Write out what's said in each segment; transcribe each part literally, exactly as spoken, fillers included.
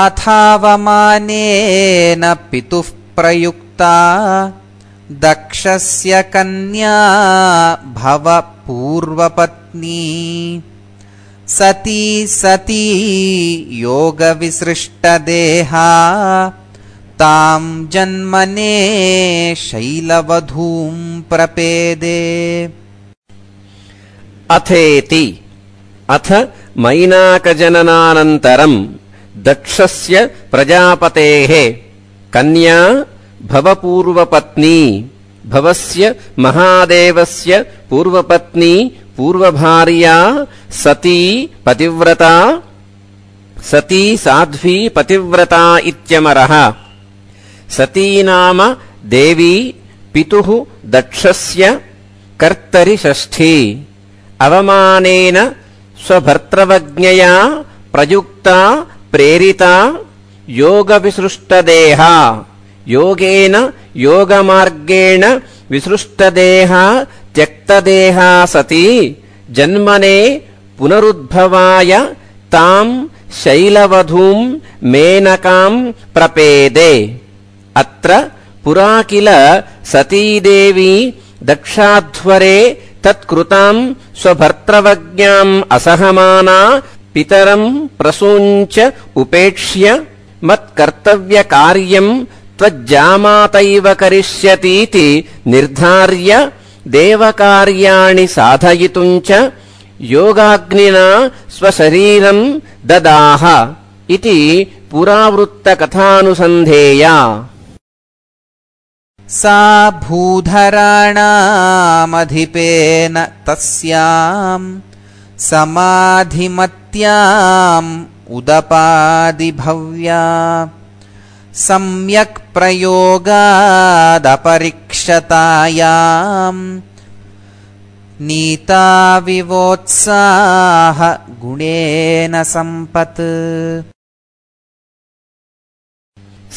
अथावमानेन पितुः प्रयुक्ता दक्षस्य कन्या भव पूर्वपत्नी सती सती योगविसृष्टदेहा तां जन्मने शैलवधूं प्रपेदे। अथेति अथ मैनाकजननानन्तरं दक्षस्य प्रजापतेः कन्या भवपूर्वपत्नी भवस्य महादेवस्य पूर्वपत्नी पूर्वभार्या सती पतिव्रता सती साध्वी पतिव्रता इत्यमरः। सती नाम देवी पितुः दक्षस्य कर्तरि षष्ठी अवमानेन स्वभर्तृवज्ञया प्रयुक्ता प्रेरिता योगविसृष्टदेहा योगेन योगमार्गेण विसृष्टदेहा त्यक्तदेहा सती जन्मने पुनरुद्भवाय तां शैलवधूं मेनकां प्रपेदे। अत्र पुरा किल सतीदेवी दक्षाध्वरे तत्कृतां स्वभर्तृवज्ञाम् असहमाना पितरं प्रसूञ्च उपेक्ष्य मत्कर्तव्यकार्यं त्वज्जामातैव करिष्यतीति निर्धार्य देवकार्याणि साधयितुं च योगाग्निना स्वशरीरं ददाह इति पुरावृत्तकथानुसन्धेया। सा भूधराणामधिपेन तस्यां समाधिमत्याम् उदपादिभव्या सम्यक् प्रयोगादपरिक्षतायाम् नीता विवोत्साह गुणेन सम्पत्।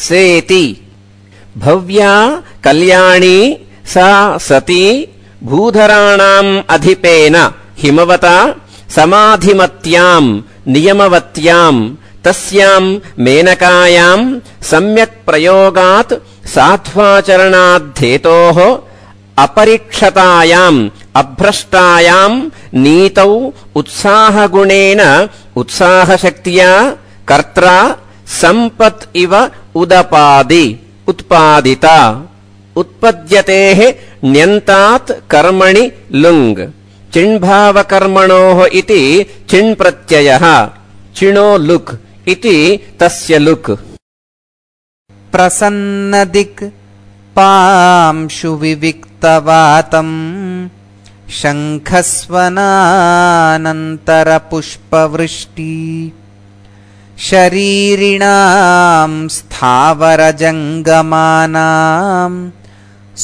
सेति भव्या कल्याणी सा सती भूधराणाम् अधिपेन हिमवता समाधिमत्याम् नियमवत्याम् तस्याम् मेनकायाम् सम्यक् प्रयोगात् साध्वाचरणाद्धेतोः अपरिक्षतायाम् अभ्रष्टायाम् नीतौ उत्साहगुणेन उत्साहशक्त्या कर्त्रा सम्पत् इव उदपादि उत्पादिता। उत्पद्यतेः ण्यन्तात् कर्मणि लुङ् चिण्भावकर्मणोः इति चिण्प्रत्ययः चिणो लुक् इति तस्य लुक्। प्रसन्नदिक् पांशु विविक्तवातम् शङ्खस्वनानन्तरपुष्पवृष्टि शरीरिणाम् स्थावरजङ्गमानाम्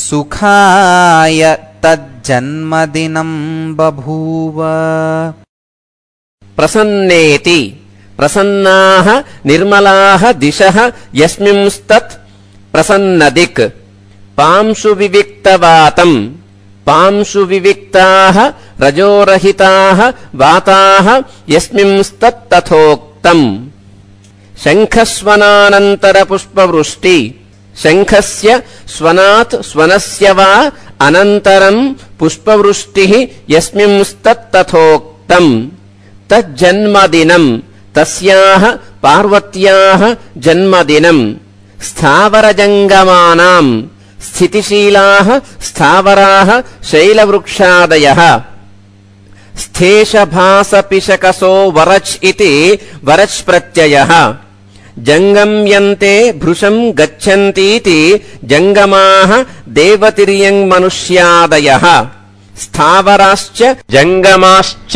सुखाय तज्जन्मदिनं बभूव। प्रसन्नेति प्रसन्नाः निर्मलाः दिशः यस्मिंस्तत् प्रसन्नदिक् पांशु विविक्तवातम् पांशु विविक्ताः रजोरहिताः वाताः यस्मिंस्तत्तथोक्तम्। शङ्खस्वनानन्तरपुष्पवृष्टि शङ्खस्य स्वनात् स्वनस्य वा अनन्तरम् पुष्पवृष्टिः यस्मिंस्तत्तथोक्तम्। तज्जन्मदिनम् तस्याः पार्वत्याः जन्मदिनम्। स्थावरजङ्गमानाम् स्थितिशीलाः स्थावराः शैलवृक्षादयः। स्थेशभासपिशकसो वरच् इति वरच् प्रत्ययः। जङ्गम्यन्ते भृशम् गच्छन्तीति जङ्गमाः देवतिर्यङ्मनुष्यादयः। स्थावराश्च जङ्गमाश्च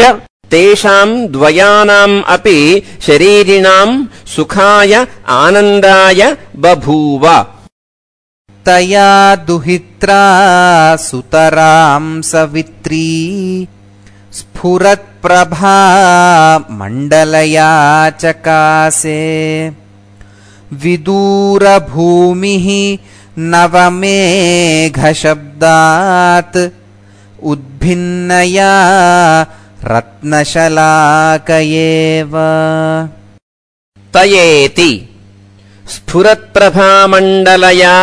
तेषाम् द्वयानाम् अपि शरीरिणाम् सुखाय आनन्दाय बभूव। तया दुहित्रा सुतरां सवित्री स्फुरत्प्रभा मण्डलया चकासे। विदूरभूमिः नवमेघशब्दात् उद्भिन्नया रत्नशलाकयेव। तयेति स्फुरत्प्रभामण्डलया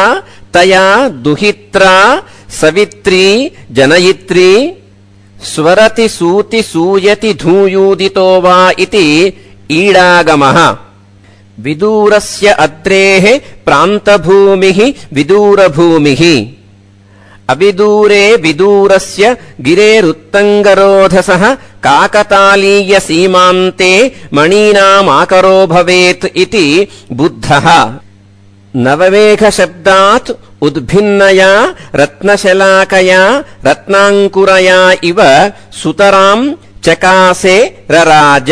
तया दुहित्रा सवित्री जनयित्री स्वरति सूति सूयति धूयूदितो वा इति ईडागमः विदूरस्य अद्रेः प्रान्तभूमिः विदूरभूमिः अविदूरे विदूरस्य गिरेरुत्तङ्गरोधसः काकतालीयसीमान्ते मणीनामाकरो भवेत् इति बुद्धः नवमेघशब्दात् उद्भिन्नया रत्नशलाकया रत्नाङ्कुरया इव सुतराम् चकासे रराज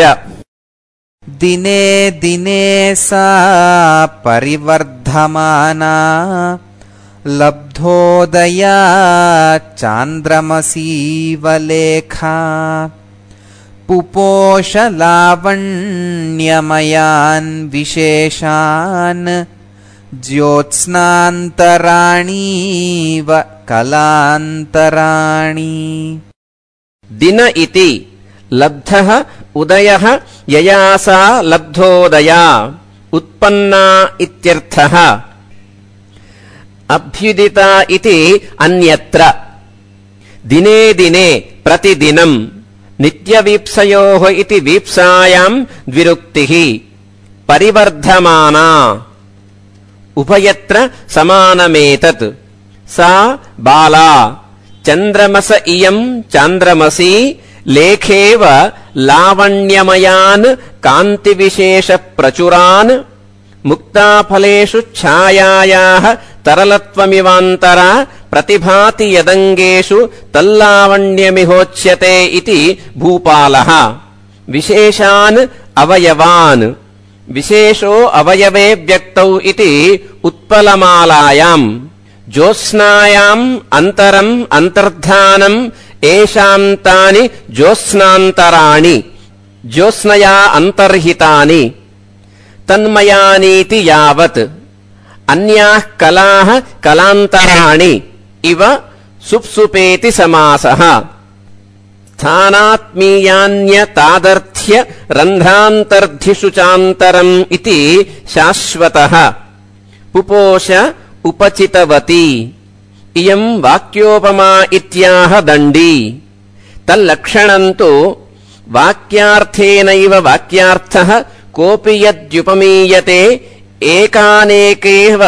दिने दिने सा परिवर्धमाना लब्धोदया चान्द्रमसीवलेखा पुपोषलावण्यमयान् विशेषान् ज्योत्स्नान्तराणीव कलान्तराणि दिन इति लब्धः उदयः यया सा लब्धोदया उत्पन्ना इत्यर्थः अभ्युदिता इति अन्यत्र दिने दिने प्रतिदिनम् नित्यवीप्सयोः इति वीप्सायाम् द्विरुक्तिः परिवर्धमाना उभयत्र समानमेतत् सा बाला चन्द्रमस इयम् चान्द्रमसी लेखेव लावण्यमयान् कान्तिविशेषप्रचुरान् मुक्ताफलेषु छायायाः तरलत्वमिवान्तरा प्रतिभाति यदङ्गेषु तल्लावण्यमिहोच्यते इति भूपालः विशेषान् अवयवान् विशेषो अवयवे व्यक्तौ इति उत्पलमालायाम् ज्योत्स्नायाम् अन्तरम् अन्तर्धानम् येषाम् तानि ज्योत्स्नान्तराणि ज्योत्स्नया अन्तर्हितानि तन्मयानीति यावत् अन्याः कलाः कलान्तराणि इव सुप्सुपेति समासः स्थानात्मीयान्यतादर्थ्य रन्ध्रान्तर्धिषु चान्तरम् इति शाश्वतः पुपोष उपचितवती इयम् वाक्योपमा इत्याह दण्डी तल्लक्षणम् तु वाक्यार्थेनैव वाक्यार्थः कोऽपि यद्युपमीयते एकानेकेव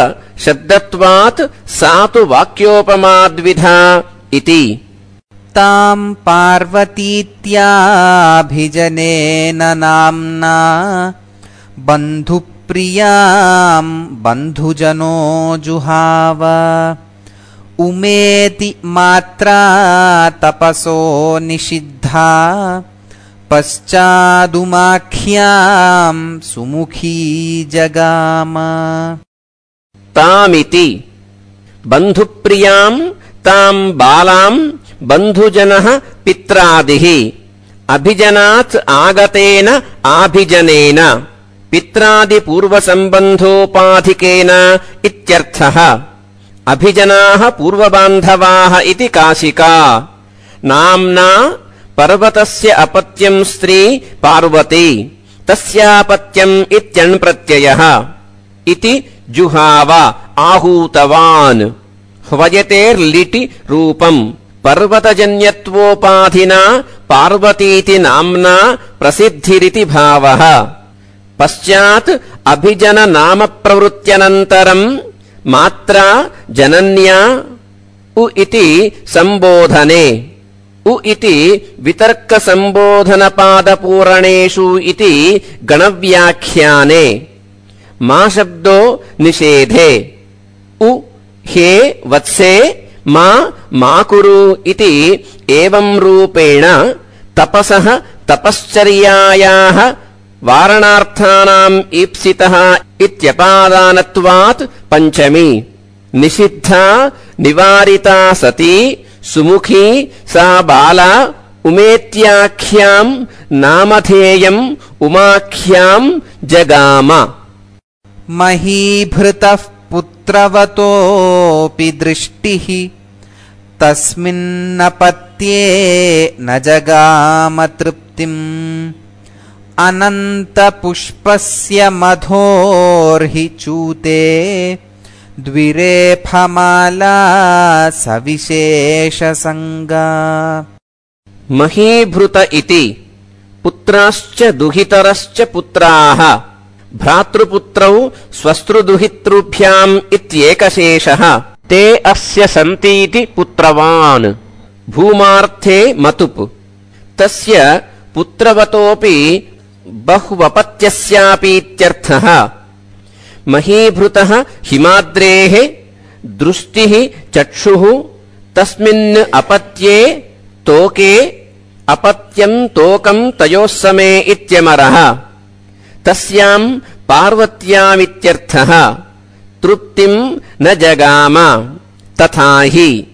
शब्दत्वात् सा तु वाक्योपमाद्विधा इति ताम् पार्वतीत्याभिजनेन नाम्ना बन्धुप्रियाम् बन्धुजनो जुहाव उमेति मात्रा तपसो निषिद्धा पश्चादुमाख्याम् सुमुखी जगाम तामिति बन्धुप्रियाम् ताम् बालाम् बन्धुजनः पित्रादिः अभिजनात् आगतेन आभिजनेन पित्रादिपूर्वसम्बन्धोपाधिकेन इत्यर्थः अभिजनाः पूर्वबान्धवाः इति काशिका नाम्ना पर्वतस्य अपत्यम् स्त्री पार्वती तस्यापत्यम् इत्यण्प्रत्ययः इति जुहाव आहूतवान् ह्वयतेर्लिटि रूपम् पर्वतजन्यत्वोपाधिना पार्वतीति नाम्ना प्रसिद्धिरिति भावः पश्चात् अभिजननामप्रवृत्त्यनन्तरम् मात्रा जनन्या उ इति सम्बोधने उ इति वितर्कसम्बोधनपादपूरणेषु इति गणव्याख्याने मा शब्दो निषेधे उ हे वत्से मा मा कुरु इति एवं रूपेण तपसः तपश्चर्यायाः वारणार्थानाम् ईप्सितः इत्यपादानत्वात् पञ्चमी निषिद्धा निवारिता सती सुमुखी सा बाला उमेत्याख्याम् नामधेयम् उमाख्याम् जगाम महीभृतः पुत्रवतोऽपि दृष्टिः तस्मिन्नपत्ये न जगाम तृप्तिम् अनन्तपुष्पस्य मधोर्हि चूते द्विरेफमाला सविशेषसङ्गा। महीभृत इति पुत्राश्च दुहितरश्च पुत्राः भ्रातृपुत्रौ स्वस्तृदुहितृभ्याम् इत्येकशेषः ते अस्य सन्तीति पुत्रवान्। भूमार्थे मतुप् तस्य पुत्रवतोऽपि बहुवपत्यस्यापीत्यर्थः। महीभृतः हिमाद्रेः दृष्टिः चक्षुः तस्मिन् अपत्ये तोके अपत्यम् तोकम् तयोः समे इत्यमरः। तस्याम् पार्वत्यामित्यर्थः। तृप्तिम् न जगाम तथा हि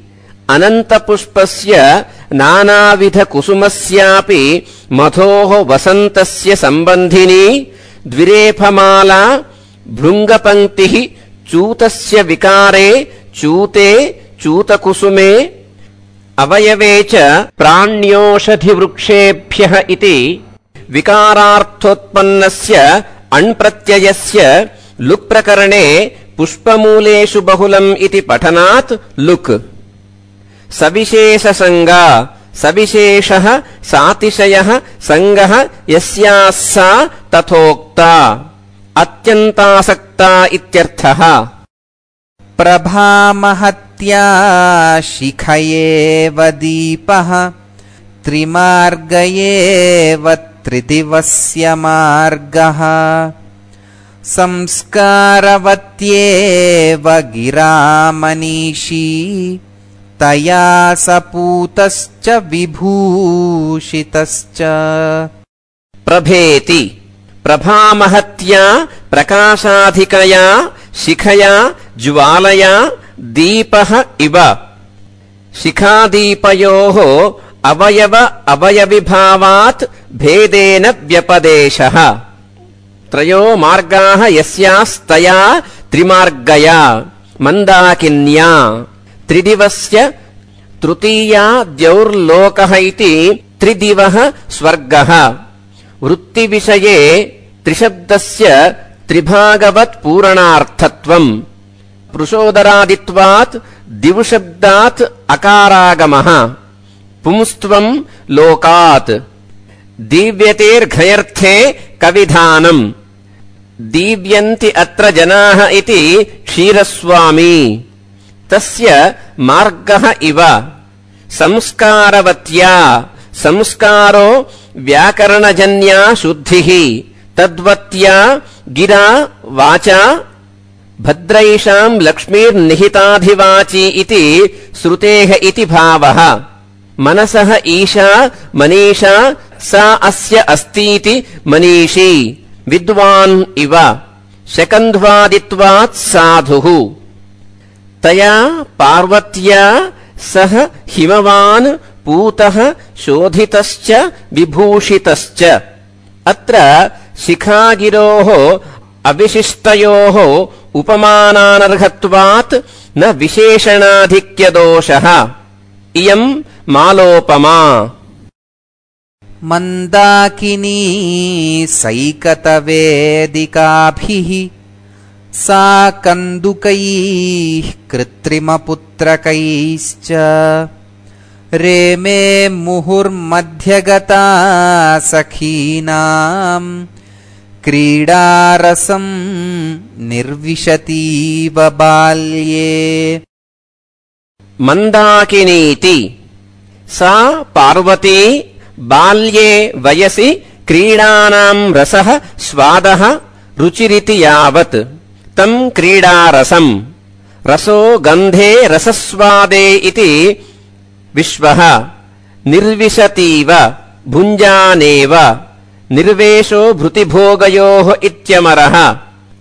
अनन्तपुष्पस्य नानाविधकुसुमस्यापि मधोः वसन्तस्य सम्बन्धिनी द्विरेफमाला भृङ्गपङ्क्तिः चूतस्य विकारे चूते चूतकुसुमे अवयवे च प्राण्योषधिवृक्षेभ्यः इति विकारार्थोत्पन्नस्य अण्प्रत्ययस्य लुक् प्रकरणे पुष्पमूलेषु बहुलम् इति पठनात् लुक्। सविशेषसङ्गा सविशेषः सातिशयः सङ्गः यस्याः सा तथोक्ता अत्यन्तासक्ता इत्यर्थः। प्रभामहत्या शिखयेव दीपः त्रिमार्गयेव त्रिदिवस्य मार्गः संस्कारवत्येव गिरामनीषी तया सपूतश्च विभूषितश्च। प्रभेति प्रभामहत्या प्रकाशाधिकया शिखया ज्वालया दीपः इव। शिखादीपयोः अवयव अवयविभावात् भेदेन व्यपदेशः। त्रयो मार्गाः यस्यास्तया त्रिमार्गया मन्दाकिन्या त्रिदिवस्य तृतीया द्यौर्लोकः इति त्रिदिवः स्वर्गः। वृत्तिविषये त्रिशब्दस्य त्रिभागवत् पूरणार्थत्वम्। पृषोदरादित्वात् दिवशब्दात् अकारागमः। पुंस्त्वम् लोकात् दीव्यतेर्घयर्थे कविधानम्। दीव्यन्ति अत्र जनाः इति क्षीरस्वामी। तस्य मार्गः इव। संस्कारवत्या संस्कारो व्याकरणजन्या शुद्धिः तद्वत्या गिरा वाचा भद्रैषाम् लक्ष्मीर्निहिताधिवाची इति श्रुतेः इति भावः। मनसः ईशा मनीषा सा अस्य अस्तीति मनीषी विद्वान् इव। शकन्ध्वादित्वात् साधुः। तया पार्वत्या सह हिमवान् पूतः शोधितश्च विभूषितश्च। अत्र शिखागिरोः अविशिष्टयोः उपमानानर्हत्वात् न विशेषणाधिक्यदोषः। इयम् मालोपमा। मन्दाकिनी सैकतवेदिकाभिः सा कन्दुकैः कृत्रिमपुत्रकैश्च रेमे मुहुर्मध्यगता सखीनाम् क्रीडारसम् निर्विशतीव बाल्ये। मन्दाकिनीति सा पार्वती बाल्ये वयसि क्रीडानाम् रसः स्वादः रुचिरिति यावत् तम् क्रीडारसम्। रसो गन्धे रसस्वादे इति विश्वः। निर्विशतीव भुञ्जानेव निर्वेशो भृतिभोगयोः इत्यमरः।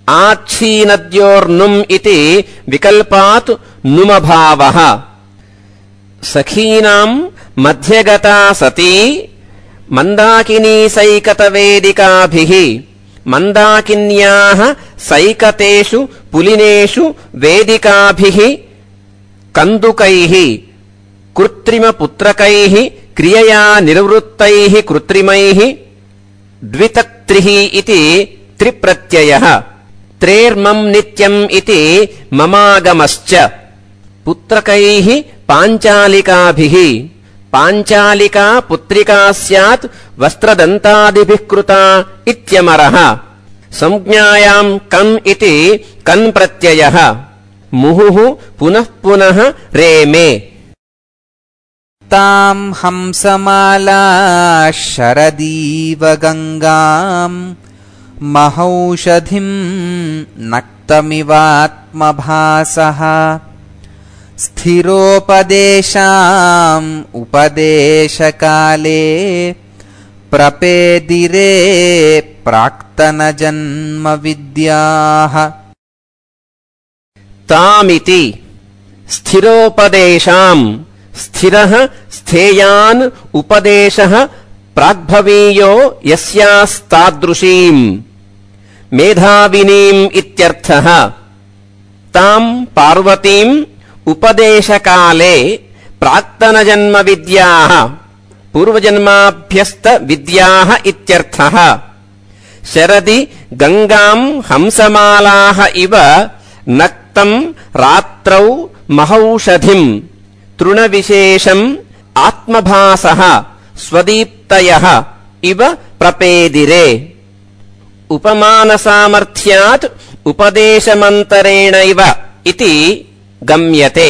आच्छीनद्योर्नुम् इति विकल्पात् नुमभावः। सखीनाम् मध्यगता सती मन्दाकिनी सैकतवेदिकाभिः। मन्दाकिन्याः सैकतेषु पुलिनेषु वेदिकाभिः कन्दुकैः कृत्रिमपुत्रकैः क्रियया निर्वृत्तैः कृत्रिमैः द्वितक्त्रिः इति त्रिप्रत्ययः त्रेर्मम् नित्यम् इति ममागमश्च पुत्रकैः पाञ्चालिकाभिः पाञ्चालिका पुत्रिका स्यात् वस्त्रदन्तादिभिः कृता इत्यमरः संज्ञायाम् कन् इति कन् प्रत्ययः मुहुः पुनः पुनः रेमे ताम् हंसमाला शरदीव गङ्गाम् महौषधिम् नक्तमिवात्मभासः स्थिरोपदेशाम् उपदेशकाले प्रपेदिरे प्राक्तनजन्मविद्याः तामिति स्थिरोपदेशाम् स्थिरः स्थेयान् उपदेशः प्राग्भवीयो यस्यास्तादृशीम् मेधाविनीम् इत्यर्थः ताम् पार्वतीम् उपदेशकाले प्राक्तनजन्मविद्याः पूर्वजन्माभ्यस्तविद्याः इत्यर्थः शरदि गङ्गाम् हंसमालाः इव नक्तम् रात्रौ महौषधिम् तृणविशेषम् आत्मभासः स्वदीप्तयः इव प्रपेदिरे उपमानसामर्थ्यात् उपदेशमन्तरेणैव इति गम्यते।